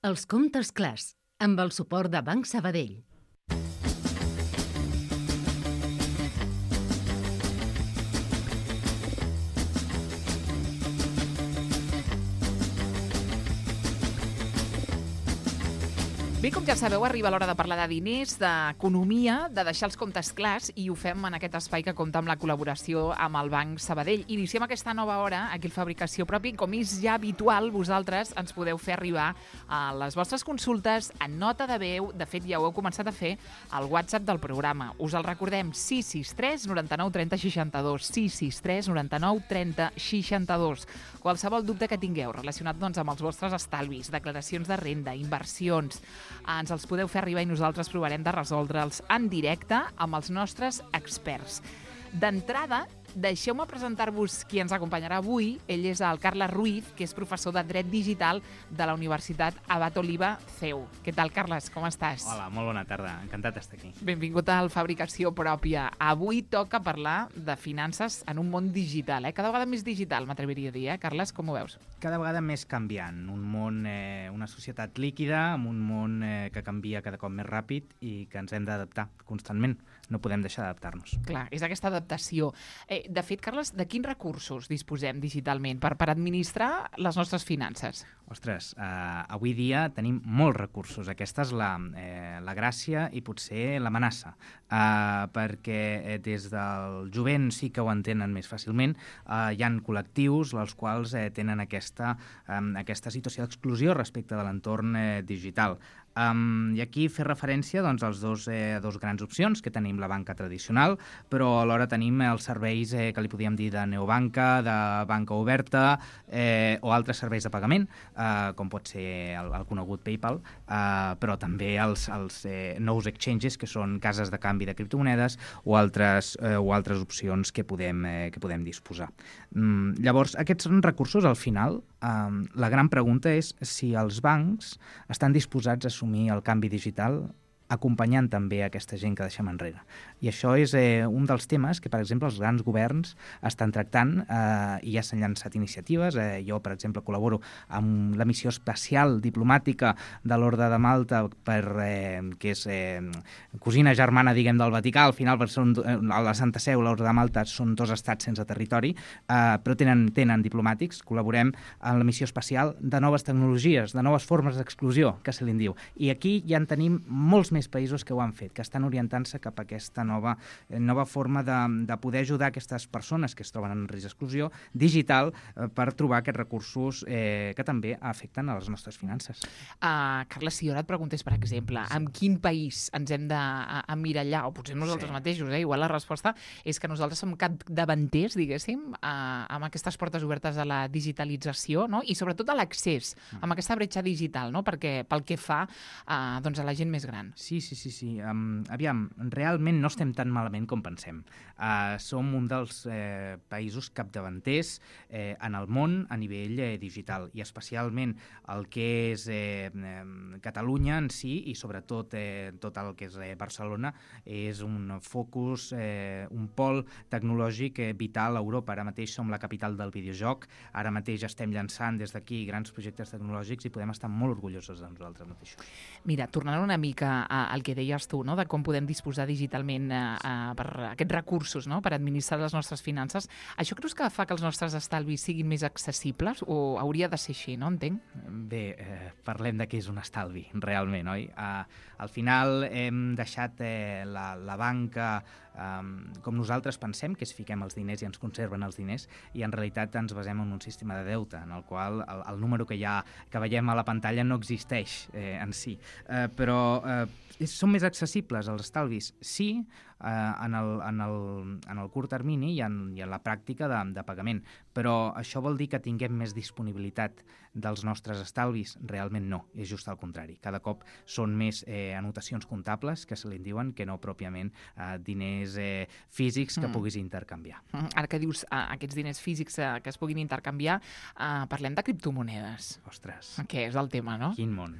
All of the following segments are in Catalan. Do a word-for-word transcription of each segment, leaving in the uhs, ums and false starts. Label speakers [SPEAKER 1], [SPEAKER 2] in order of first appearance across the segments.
[SPEAKER 1] Els comptes clars, amb el suport de Banc Sabadell.
[SPEAKER 2] Bé, com ja sabeu, arriba l'hora de parlar de diners, d'economia, de deixar els comptes clars, i ho fem en aquest espai que compta amb la col·laboració amb el Banc Sabadell. Iniciem aquesta nova hora aquí al Fabricació Propi. Com és ja habitual, vosaltres ens podeu fer arribar a les vostres consultes en nota de veu. De fet, ja ho heu començat a fer al WhatsApp del programa. Us el recordem, sis sis tres noranta-nou trenta seixanta-dos, sis sis tres noranta-nou trenta seixanta-dos. Qualsevol dubte que tingueu relacionat doncs, amb els vostres estalvis, declaracions de renda, inversions, ens els podeu fer arribar i nosaltres provarem de resoldre'ls en directe amb els nostres experts. D'entrada, deixeu-me presentar-vos qui ens acompanyarà avui. Ell és el Carles Ruiz, que és professor de Dret Digital de la Universitat Abat Oliba C E U. Què tal, Carles? Com estàs?
[SPEAKER 3] Hola, molt bona tarda. Encantat d'estar aquí.
[SPEAKER 2] Benvingut al Fabricació Pròpia. Avui toca parlar de finances en un món digital, eh? Cada vegada més digital, m'atreviria a dir, eh? Carles, com ho veus?
[SPEAKER 3] Cada vegada més canviant. Un món, eh, una societat líquida, amb un món eh, que canvia cada cop més ràpid i que ens hem d'adaptar constantment. No podem deixar d'adaptar-nos.
[SPEAKER 2] Clar, és aquesta adaptació. Eh, de fet, Carles, de quins recursos disposem digitalment per, per administrar les nostres finances?
[SPEAKER 3] Ostres, eh, avui dia tenim molts recursos. Aquesta és la, eh, la gràcia i potser l'amenaça, eh, perquè eh, des del jovent sí que ho entenen més fàcilment. Eh, hi ha col·lectius els quals eh, tenen aquesta, eh, aquesta situació d'exclusió respecte de l'entorn eh, digital. Um, I aquí fer referència doncs, als dos, eh, dos grans opcions que tenim la banca tradicional, però alhora tenim els serveis eh, que li podíem dir de neobanca, de banca oberta eh, o altres serveis de pagament, eh, com pot ser el, el conegut PayPal, eh, però també els, els eh, nous exchanges, que són cases de canvi de criptomonedes o altres, eh, o altres opcions que podem, eh, que podem disposar. Mm, llavors, aquests són recursos, al final, eh, la gran pregunta és si els bancs estan disposats a assumir el canvi digital acompanyant també aquesta gent que deixem enrere. I això és eh, un dels temes que, per exemple, els grans governs estan tractant eh, i ja s'han llançat iniciatives. Eh, jo, per exemple, col·laboro amb la missió espacial diplomàtica de l'Orde de Malta, per, eh, que és eh, cosina germana, diguem, del Vaticà. Al final, per ser un, a la Santa Seu, l'Orde de Malta són dos estats sense territori, eh, però tenen, tenen diplomàtics. Col·laborem en la missió espacial de noves tecnologies, de noves formes d'exclusió, que se li en diu. I aquí ja en tenim molts més països que ho han fet, que estan orientant-se cap a aquesta nova, eh, nova forma de, de poder ajudar aquestes persones que es troben en risc d'exclusió digital eh, per trobar aquests recursos eh, que també afecten a les nostres finances.
[SPEAKER 2] Uh, Carles, si jo ara et preguntés, per exemple, sí. en quin país ens hem d'emmirallar, o potser nosaltres sí. mateixos, eh? Igual la resposta és que nosaltres som capdavanters, diguéssim, uh, amb aquestes portes obertes a la digitalització, no? I sobretot a l'accés, mm. amb aquesta bretxa digital, no? Perquè pel que fa uh, doncs a la gent més gran.
[SPEAKER 3] Sí, sí, sí. sí. Um, aviam, realment no estem tan malament com pensem. Uh, som un dels eh, països capdavanters eh, en el món a nivell eh, digital, i especialment el que és eh, eh, Catalunya en si, i sobretot eh, tot el que és eh, Barcelona, és un focus, eh, un pol tecnològic eh, vital a Europa. Ara mateix som la capital del videojoc, ara mateix estem llançant des d'aquí grans projectes tecnològics i podem estar molt orgullosos de nosaltres mateixos.
[SPEAKER 2] Mira, tornant una mica el que deies tu, no? De com podem disposar digitalment eh, eh, per aquests recursos, no? Per administrar les nostres finances. Això creus que fa que els nostres estalvis siguin més accessibles o hauria de ser així, no? Entenc?
[SPEAKER 3] Bé, eh, parlem de què és un estalvi, realment, oi? Eh, al final hem deixat eh, la, la banca Um, com nosaltres pensem, que és fiquem els diners i ens conserven els diners, i en realitat ens basem en un sistema de deute en el qual el, el número que, ha, que veiem a la pantalla no existeix eh, en si. Eh, però eh, són més accessibles els estalvis? Sí, eh, en, el, en, el, en el curt termini i en, i en la pràctica de, de pagament, però això vol dir que tinguem més disponibilitat dels nostres estalvis? Realment no, és just al contrari. Cada cop són més eh, anotacions comptables, que se li diuen, que no pròpiament eh, diners eh, físics que mm. puguis intercanviar.
[SPEAKER 2] Mm. Ara que dius eh, aquests diners físics eh, que es puguin intercanviar, eh, parlem de criptomonedes.
[SPEAKER 3] Ostres.
[SPEAKER 2] Que és el tema, no?
[SPEAKER 3] Quin món.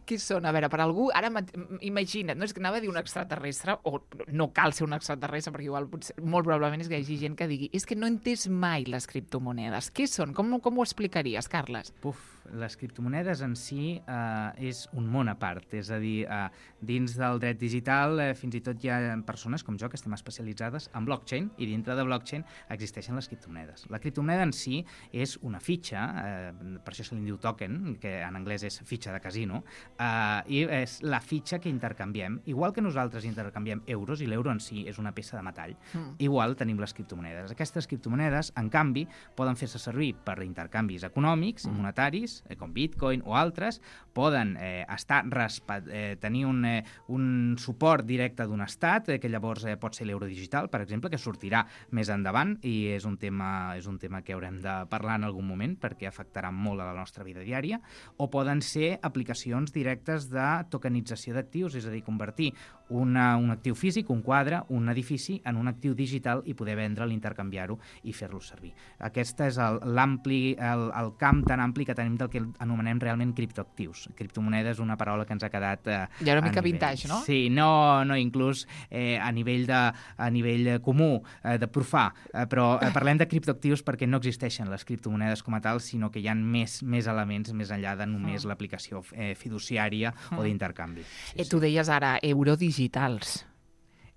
[SPEAKER 2] Què són? A veure, per algú, ara imagina't, no és que anava a dir un extraterrestre, o no cal ser un extraterrestre, perquè igual potser, molt probablement és que hi hagi gent que digui és que no he entès mai mai les criptomonedes? Què són? Com, com ho explicaries, Carles?
[SPEAKER 3] Puf, les criptomonedes en si eh, és un món a part, és a dir, eh, dins del dret digital eh, fins i tot hi ha persones com jo que estem especialitzades en blockchain i dintre de blockchain existeixen les criptomonedes. La criptomoneda en si és una fitxa, eh, per això se li diu token, que en anglès és fitxa de casino, eh, i és la fitxa que intercanviem. Igual que nosaltres intercanviem euros i l'euro en si és una peça de metall, mm. igual tenim les criptomonedes. Aquestes criptomonedes, en canvi, poden fer-se servir per intercanvis econòmics i monetaris, eh, com Bitcoin o altres, poden eh, estar respat, eh, tenir un, eh, un suport directe d'un estat, eh, que llavors eh, pot ser l'euro digital, per exemple, que sortirà més endavant i és un tema, és un tema que haurem de parlar en algun moment perquè afectarà molt a la nostra vida diària, o poden ser aplicacions directes de tokenització d'actius, és a dir, convertir una, un actiu físic, un quadre, un edifici, en un actiu digital i poder vendre'l, intercanviar-ho i fer-lo servir. Aquest és el, l'ampli, el, el camp tan ampli que tenim del que anomenem realment criptoactius. Criptomoneda és una paraula que ens ha quedat eh,
[SPEAKER 2] ja una mica vintage, no?
[SPEAKER 3] Sí, no, no inclús eh, a nivell de a nivell comú, eh, de profà, eh, però eh, parlem de criptoactius perquè no existeixen les criptomonedes com a tal, sinó que hi ha més, més elements més enllà de només mm. l'aplicació eh, fiduciària mm. o d'intercanvi. Sí,
[SPEAKER 2] eh, tu
[SPEAKER 3] sí.
[SPEAKER 2] deies ara eurodigitals.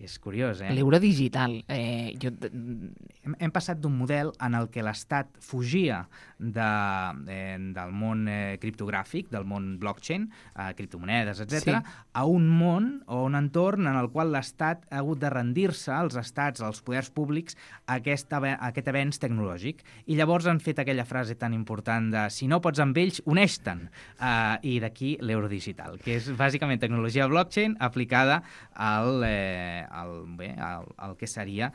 [SPEAKER 3] És curiós, eh?
[SPEAKER 2] L'euro digital. Eh, jo...
[SPEAKER 3] hem, hem passat d'un model en el que l'Estat fugia de, eh, del món eh, criptogràfic, del món blockchain, eh, criptomonedes, etcètera, sí. a un món o un entorn en el qual l'Estat ha hagut de rendir-se, als estats, als poders públics, a aquest, a aquest avenç tecnològic. I llavors han fet aquella frase tan important de si no pots amb ells, uneix-te'n. Eh, I d'aquí l'euro digital, que és bàsicament tecnologia blockchain aplicada al... Eh, El, bé, el, el que seria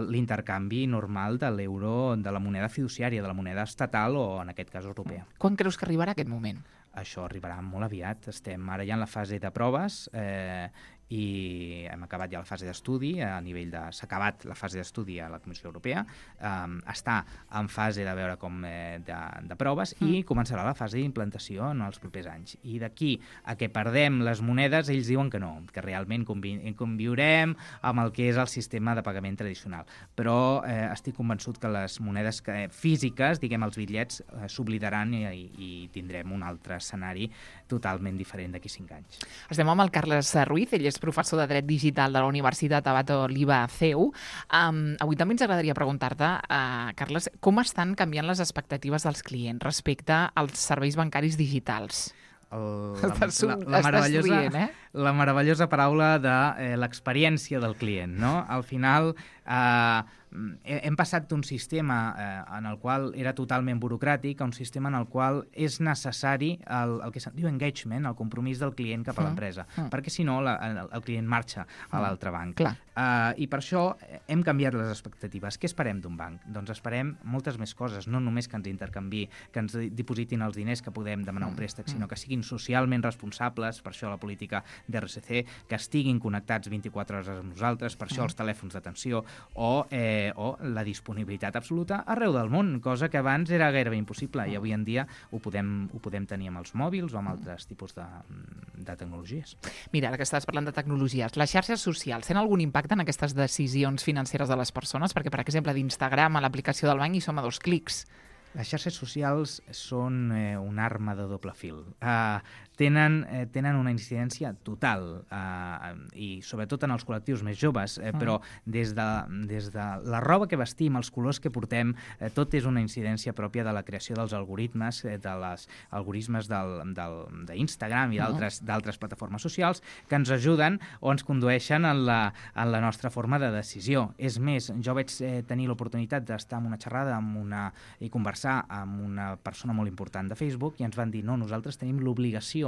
[SPEAKER 3] l'intercanvi normal de l'euro, de la moneda fiduciària, de la moneda estatal o, en aquest cas, europea.
[SPEAKER 2] Quan creus que arribarà aquest moment?
[SPEAKER 3] Això arribarà molt aviat. Estem ara ja en la fase de proves eh, i hem acabat ja la fase d'estudi a nivell de... S'ha acabat la fase d'estudi a la Comissió Europea, um, està en fase de veure com eh, de, de proves mm. i començarà la fase d'implantació en els propers anys. I d'aquí a que perdem les monedes, ells diuen que no, que realment convi conviurem amb el que és el sistema de pagament tradicional. Però eh, estic convençut que les monedes que, físiques, diguem els bitllets, eh, s'oblidaran i, i tindrem un altre escenari totalment diferent d'aquí cinc anys.
[SPEAKER 2] Estem amb el Carles Ruiz, ell és professor de Dret Digital de la Universitat Abat Oliba C E U. Um, avui també ens agradaria preguntar-te, uh, Carles, com estan canviant les expectatives dels clients respecte als serveis bancaris digitals?
[SPEAKER 3] El, la, la, la, meravellosa, rient, eh? la meravellosa paraula de eh, l'experiència del client, no? Al final eh, hem passat d'un sistema eh, en el qual era totalment burocràtic a un sistema en el qual és necessari el, el que se'n diu engagement, el compromís del client cap a mm. l'empresa, mm. perquè si no la, el, el client marxa a l'altre banc. Uh, I per això hem canviat les expectatives. Què esperem d'un banc? Doncs esperem moltes més coses, no només que ens intercanvi, que ens dipositin els diners que podem demanar un préstec, sinó que siguin socialment responsables, per això la política d'R S C, que estiguin connectats vint-i-quatre hores amb nosaltres, per això els telèfons d'atenció, o, eh, o la disponibilitat absoluta arreu del món, cosa que abans era gairebé impossible, i avui en dia ho podem, ho podem tenir amb els mòbils o amb altres tipus de, de tecnologies.
[SPEAKER 2] Mira, ara que estàs parlant de tecnologies, les xarxes socials tenen algun impacte en aquestes decisions financeres de les persones? Perquè, per exemple, d'Instagram a l'aplicació del banc hi som a dos clics.
[SPEAKER 3] Les xarxes socials són eh, una arma de doble fil. Uh, tenen, eh, tenen una incidència total eh, i sobretot en els col·lectius més joves, eh, mm. però des de, des de la roba que vestim, els colors que portem, eh, tot és una incidència pròpia de la creació dels algoritmes, eh, de les algoritmes d'Instagram i d'altres mm. plataformes socials que ens ajuden o ens condueixen en la, en la nostra forma de decisió. És més, jo vaig eh, tenir l'oportunitat d'estar en una xerrada amb una, i conversar amb una persona molt important de Facebook i ens van dir, no, nosaltres tenim l'obligació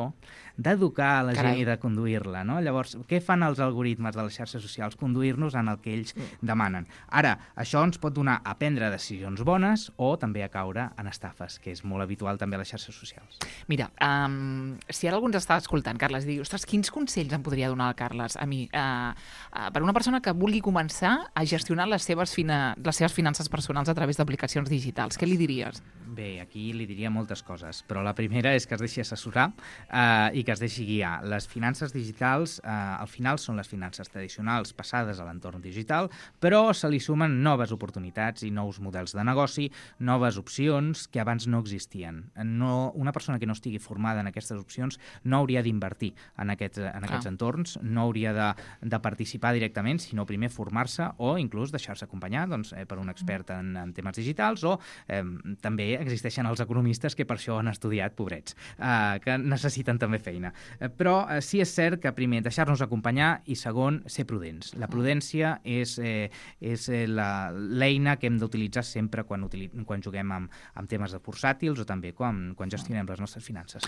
[SPEAKER 3] d'educar la Carai. gent i de conduir-la, no? Llavors, què fan els algoritmes de les xarxes socials? Conduir-nos en el que ells demanen. Ara, això ens pot donar a prendre decisions bones o també a caure en estafes, que és molt habitual també a les xarxes socials.
[SPEAKER 2] Mira, um, si ara algú ens està escoltant, Carles, diu, ostres, quins consells em podria donar el Carles a mi? Uh, uh, per una persona que vulgui començar a gestionar les seves, fina, les seves finances personals a través d'aplicacions digitals, què li diries?
[SPEAKER 3] Bé, aquí li diria moltes coses, però la primera és que es deixi assessorar uh, i que es deixi guiar. Les finances digitals, uh, al final, són les finances tradicionals passades a l'entorn digital, però se li sumen noves oportunitats i nous models de negoci, noves opcions que abans no existien. No, una persona que no estigui formada en aquestes opcions no hauria d'invertir en, aquest, en aquests entorns, no hauria de, de participar directament, sinó primer formar-se o inclús deixar-se acompanyar doncs, eh, per un expert en, en temes digitals, o eh, també existeixen els economistes que per això han estudiat, pobrets, eh, que necessiten també feina. Eh, però eh, sí és cert que primer deixar-nos acompanyar i segon, ser prudents. La prudència és, eh, és eh, l'eina que hem d'utilitzar sempre quan, utili quan juguem amb, amb temes de bursàtils o també quan, quan gestionem les nostres finances.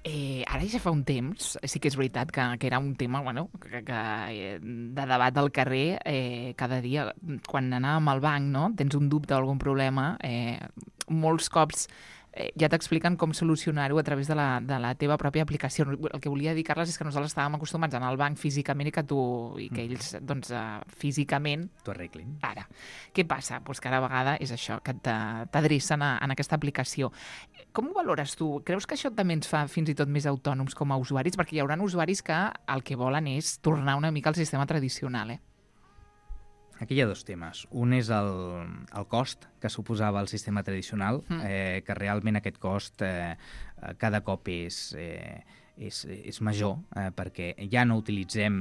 [SPEAKER 2] Eh, ara ja fa un temps, sí que és veritat que, que era un tema bueno, que, que, de debat al carrer eh, cada dia. Quan anàvem al banc, no? Tens un dubte o algun problema, eh, molts cops eh, ja t'expliquen com solucionar-ho a través de la, de la teva pròpia aplicació. El que volia dir, Carles, és que nosaltres estàvem acostumats a anar al banc físicament i que tu i que ells doncs, uh, físicament
[SPEAKER 3] t'ho arreglin.
[SPEAKER 2] Ara, què passa? Pues cada vegada és això, que t'adrecen en aquesta aplicació. Com ho valores tu? Creus que això també ens fa fins i tot més autònoms com a usuaris? Perquè hi haurà usuaris que el que volen és tornar una mica al sistema tradicional, eh?
[SPEAKER 3] Aquí hi ha dos temes. Un és el, el cost que suposava el sistema tradicional, mm. eh, que realment aquest cost eh, cada cop és... Eh, És, és major, eh, perquè ja no utilitzem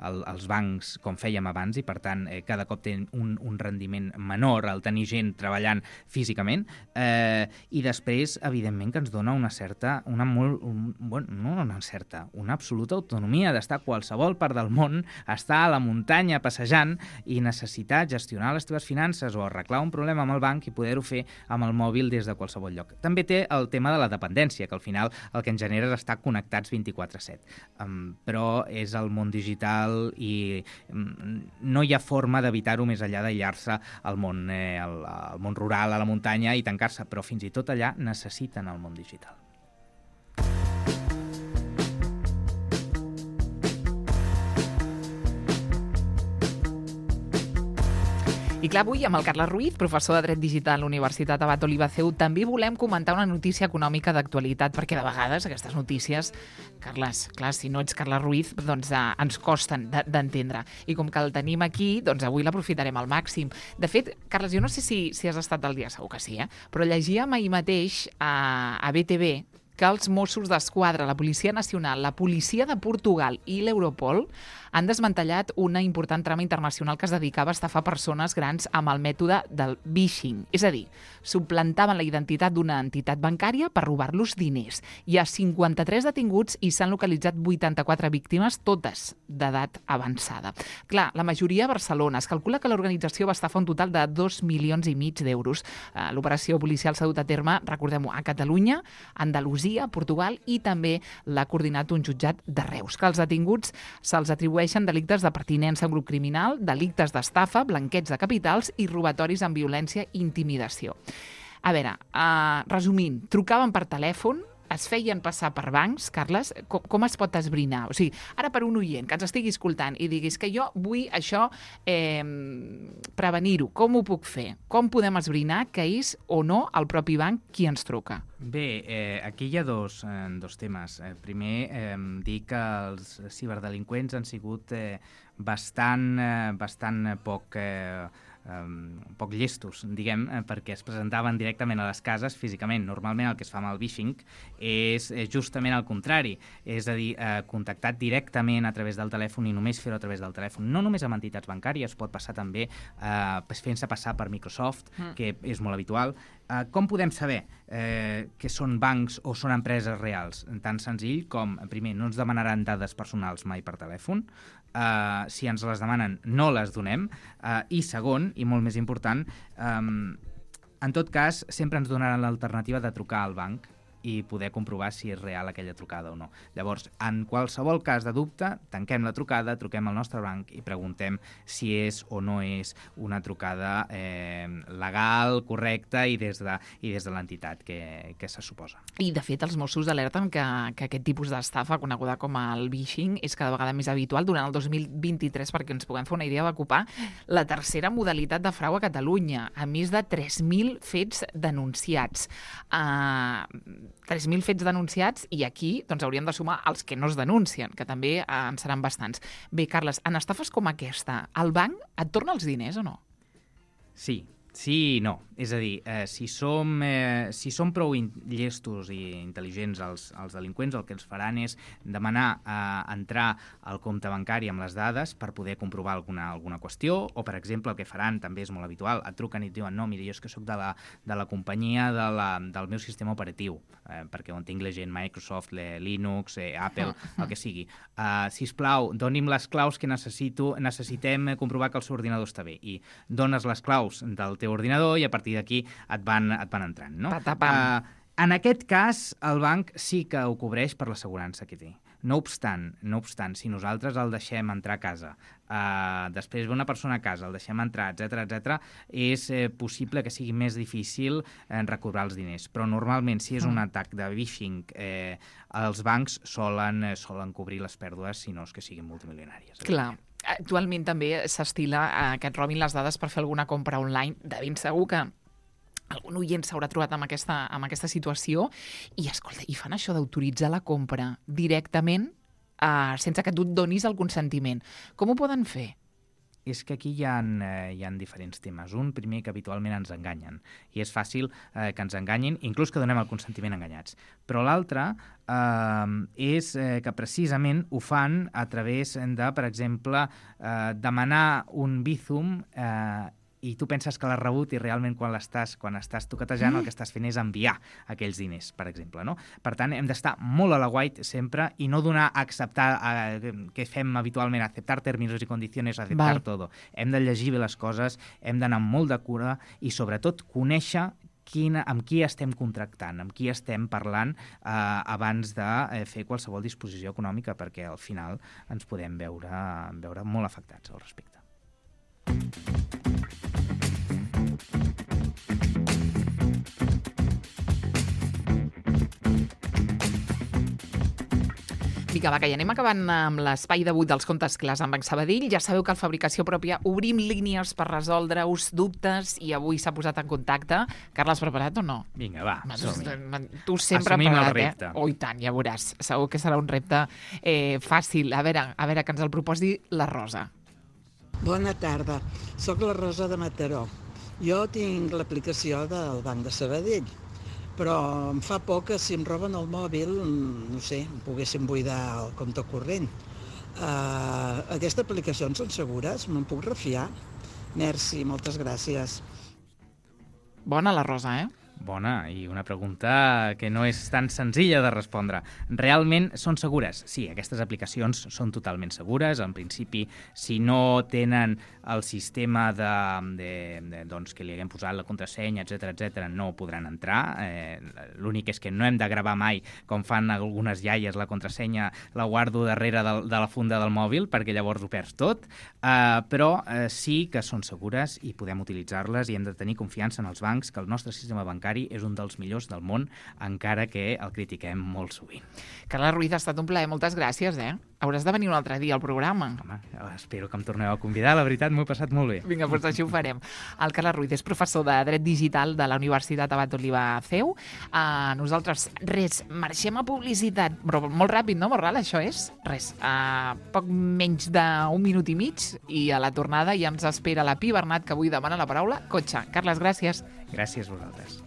[SPEAKER 3] el, els bancs com fèiem abans i, per tant, eh, cada cop té un, un rendiment menor al tenir gent treballant físicament, eh, i després, evidentment, que ens dona una certa, una molt, un, bueno, no una certa, una absoluta autonomia d'estar a qualsevol part del món, estar a la muntanya passejant i necessitar gestionar les teves finances o arreglar un problema amb el banc i poder-ho fer amb el mòbil des de qualsevol lloc. També té el tema de la dependència, que al final el que ens genera és estar connectats vint-i-quatre set. Um, però és el món digital i um, no hi ha forma d'evitar-ho més enllà d'aïllar-se al món, eh, al, al món rural, a la muntanya i tancar-se, però fins i tot allà necessiten el món digital.
[SPEAKER 2] I clar, avui amb el Carles Ruiz, professor de Dret Digital a la Universitat Abat Oliba C E U, també volem comentar una notícia econòmica d'actualitat, perquè de vegades aquestes notícies, Carles, clar, si no ets Carles Ruiz, doncs eh, ens costen d'entendre. I com que el tenim aquí, doncs avui l'aprofitarem al màxim. De fet, Carles, jo no sé si, si has estat al dia, segur que sí, eh? Però llegíem ahir mateix a, a B T V que els Mossos d'Esquadra, la Policia Nacional, la Policia de Portugal i l'Europol han desmantellat una important trama internacional que es dedicava a estafar persones grans amb el mètode del phishing. És a dir, suplantaven la identitat d'una entitat bancària per robar-los diners. Hi ha cinquanta-tres detinguts i s'han localitzat vuitanta-quatre víctimes, totes d'edat avançada. Clar, la majoria a Barcelona. Es calcula que l'organització va estafar un total de dos milions i mig d'euros. L'operació policial s'ha dut a terme, recordem-ho, a Catalunya, Andalusia, Portugal, i també l'ha coordinat un jutjat de Reus. Que els detinguts se'ls atribueixen delictes de pertinença a un grup criminal, delictes d'estafa, blanqueig de capitals i robatoris amb violència i intimidació. A veure, uh, resumint, trucaven per telèfon, es feien passar per bancs, Carles, com, com es pot esbrinar? O sigui, ara per un oient que ens estigui escoltant i diguis que jo vull això eh, prevenir-ho, com ho puc fer? Com podem esbrinar que és o no el propi banc qui ens truca?
[SPEAKER 3] Bé, eh, aquí hi ha dos, eh, dos temes. Eh, primer, eh, dir que els ciberdelinqüents han sigut eh, bastant, eh, bastant poc... Eh, Um, poc llestos, diguem, eh, perquè es presentaven directament a les cases físicament. Normalment el que es fa amb el phishing és, és justament el contrari, és a dir, eh, contactar directament a través del telèfon i només fer-ho a través del telèfon. No només amb entitats bancàries, pot passar també eh, fent-se passar per Microsoft, mm. que és molt habitual. Eh, com podem saber eh, que són bancs o són empreses reals? Tan senzill com, primer, no ens demanaran dades personals mai per telèfon. Uh, si ens les demanen, no les donem. Uh, I segon, i molt més important, um, en tot cas, sempre ens donaran l'alternativa de trucar al banc i poder comprovar si és real aquella trucada o no. Llavors, en qualsevol cas de dubte, tanquem la trucada, truquem al nostre banc i preguntem si és o no és una trucada eh, legal, correcta i des de, i des de l'entitat que, que se suposa.
[SPEAKER 2] I, de fet, els Mossos alerten que, que aquest tipus d'estafa, coneguda com el phishing, és cada vegada més habitual durant el dos mil vint-i-tres, perquè ens puguem fer una idea, va ocupar la tercera modalitat de frau a Catalunya, amb més de tres mil fets denunciats. Uh, tres mil fets denunciats i aquí doncs, hauríem de sumar els que no es denuncien, que també eh, en seran bastants. Bé, Carles, en estafes com aquesta, el banc et torna els diners o no?
[SPEAKER 3] Sí, sí i no. És a dir, eh, si, som, eh, si som prou in llestos i intel·ligents els, els delinqüents, el que ens faran és demanar eh, entrar al compte bancari amb les dades per poder comprovar alguna, alguna qüestió, o, per exemple, el que faran, també és molt habitual, et truquen i et diuen no, mira, jo és que sóc de la, de la companyia de la, del meu sistema operatiu, eh, perquè on tinc la gent Microsoft, le, Linux, eh, Apple, el que sigui. Uh, sisplau, doni'm les claus que necessito, necessitem comprovar que el seu ordinador està bé. I dones les claus del teu ordinador i a partir d'aquí et van, et van entrant. No?
[SPEAKER 2] Patapam.
[SPEAKER 3] Uh, en aquest cas, el banc sí que ho cobreix per l'assegurança que té. No obstant, no obstant, si nosaltres el deixem entrar a casa, uh, després ve una persona a casa, el deixem entrar, etcètera, etcètera, és eh, possible que sigui més difícil eh, recobrar els diners. Però normalment, si és un atac de phishing, eh, els bancs solen, eh, solen cobrir les pèrdues, si no és que siguin multimilionàries.
[SPEAKER 2] Clar. Actualment també s'estila eh, que et robin les dades per fer alguna compra online. De ben segur que algun oient s'haurà trobat amb aquesta, amb aquesta situació i, escolta, i fan això d'autoritzar la compra directament eh, sense que tu et donis el consentiment. Com ho poden fer?
[SPEAKER 3] És que aquí hi ha, eh, hi ha diferents temes. Un, primer, que habitualment ens enganyen. I és fàcil eh, que ens enganyin, inclús que donem el consentiment enganyats. Però l'altre eh, és eh, que precisament ho fan a través de, per exemple, eh, demanar un Bizum eh, i tu penses que l'has rebut i realment quan l'estàs quan estàs toquetejant mm. el que estàs fent és enviar aquells diners, per exemple. No? Per tant, hem d'estar molt a la guait sempre i no donar a acceptar, a, que fem habitualment, acceptar términos i condiciones, acceptar Val. Todo. Hem de llegir bé les coses, hem d'anar amb molt de cura i sobretot conèixer Quina, amb qui estem contractant, amb qui estem parlant eh, abans de eh, fer qualsevol disposició econòmica, perquè al final ens podem veure, veure molt afectats al respecte.
[SPEAKER 2] Vinga, va, que ja anem acabant amb l'espai d'avui dels comptes clars amb Banc Sabadell. Ja sabeu que al Fabricació Pròpia obrim línies per resoldre-us dubtes i avui s'ha posat en contacte. Carles, preparat o no?
[SPEAKER 3] Vinga, va, som-hi.
[SPEAKER 2] Tu sempre
[SPEAKER 3] Assumim
[SPEAKER 2] preparat,
[SPEAKER 3] el repte.
[SPEAKER 2] Eh? Oh, i tant, ja veuràs. Segur que serà un repte eh, fàcil. A veure, a veure, que ens el proposi la Rosa.
[SPEAKER 4] Bona tarda, sóc la Rosa de Mataró. Jo tinc l'aplicació del Banc de Sabadell, però em fa por que si em roben el mòbil, no sé, em poguessin buidar el compte corrent. Uh, aquestes aplicacions són segures? Me'n puc refiar? Merci, moltes gràcies.
[SPEAKER 2] Bona la Rosa, eh?
[SPEAKER 3] Bona, i una pregunta que no és tan senzilla de respondre. Realment són segures? Sí, aquestes aplicacions són totalment segures. En principi, si no tenen el sistema de, de, de, doncs, que li haguem posat la contrasenya, etcètera, etcètera, no podran entrar. Eh, L'únic és que no hem de gravar mai, com fan algunes iaies, la contrasenya la guardo darrere de, de la funda del mòbil, perquè llavors ho perds tot. Eh, però eh, sí que són segures i podem utilitzar-les i hem de tenir confiança en els bancs, que el nostre sistema bancari és un dels millors del món, encara que el critiquem molt sovint.
[SPEAKER 2] Carles Ruiz, ha estat un plaer. Moltes gràcies, eh? Hauràs de venir un altre dia al programa.
[SPEAKER 3] Home, espero que em torneu a convidar. La veritat, m'ho he passat molt bé.
[SPEAKER 2] Vinga, doncs així ho farem. El Carles Ruiz és professor de Dret Digital de la Universitat Abat Oliva C E U. Uh, nosaltres, res, marxem a publicitat, però molt ràpid, no, Morral, això és? Res, uh, poc menys d'un minut i mig i a la tornada ja ens espera la Pi Bernat, que avui demana la paraula cotxe. Carles, gràcies.
[SPEAKER 3] Gràcies a vosaltres.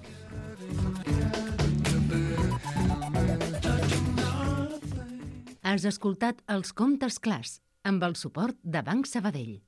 [SPEAKER 1] Has escoltat Els Comptes Clars amb el suport de Banc Sabadell.